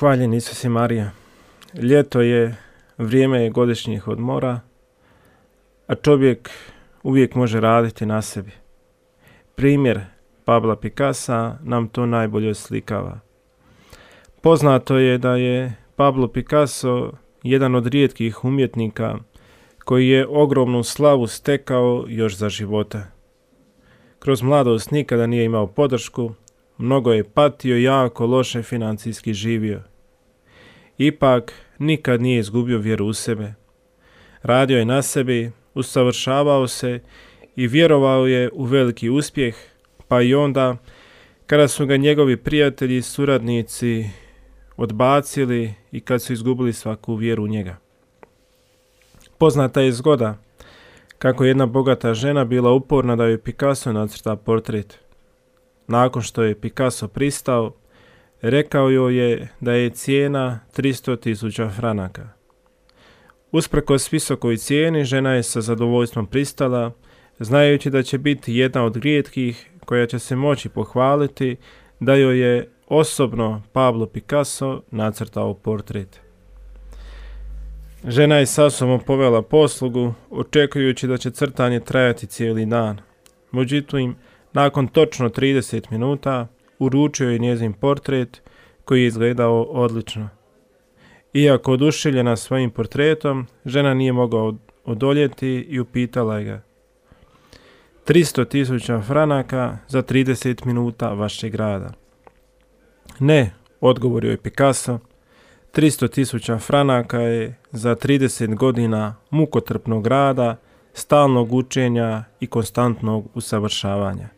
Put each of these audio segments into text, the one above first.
Hvaljen Isus i Marija. Ljeto je, vrijeme je godišnjih odmora, a čovjek uvijek može raditi na sebi. Primjer Pabla Picassa nam to najbolje oslikava. Poznato je da je Pablo Picasso jedan od rijetkih umjetnika koji je ogromnu slavu stekao još za života. Kroz mladost nikada nije imao podršku, mnogo je patio i jako loše financijski živio. Ipak nikad nije izgubio vjeru u sebe. Radio je na sebi, usavršavao se i vjerovao je u veliki uspjeh, pa i onda kada su ga njegovi prijatelji i suradnici odbacili i kad su izgubili svaku vjeru u njega. Poznata je zgoda kako jedna bogata žena bila uporna da joj Picasso nacrta portret. Nakon što je Picasso pristao, rekao joj je da je cijena 300.000 franaka. Usprkos visokoj cijeni, žena je sa zadovoljstvom pristala, znajući da će biti jedna od rijetkih koja će se moći pohvaliti da joj je osobno Pablo Picasso nacrtao portret. Žena je sa sobom povela poslugu, očekujući da će crtanje trajati cijeli dan. Međutim, nakon točno 30 minuta uručio je njezin portret koji je izgledao odlično. Iako oduševljena svojim portretom, žena nije mogla odoljeti i upitala je ga: 300.000 franaka za 30 minuta vašeg rada. Ne, odgovorio je Picasso, 300.000 franaka je za 30 godina mukotrpnog rada, stalnog učenja i konstantnog usavršavanja.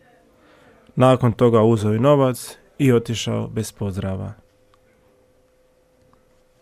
Nakon toga uzeo je novac i otišao bez pozdrava.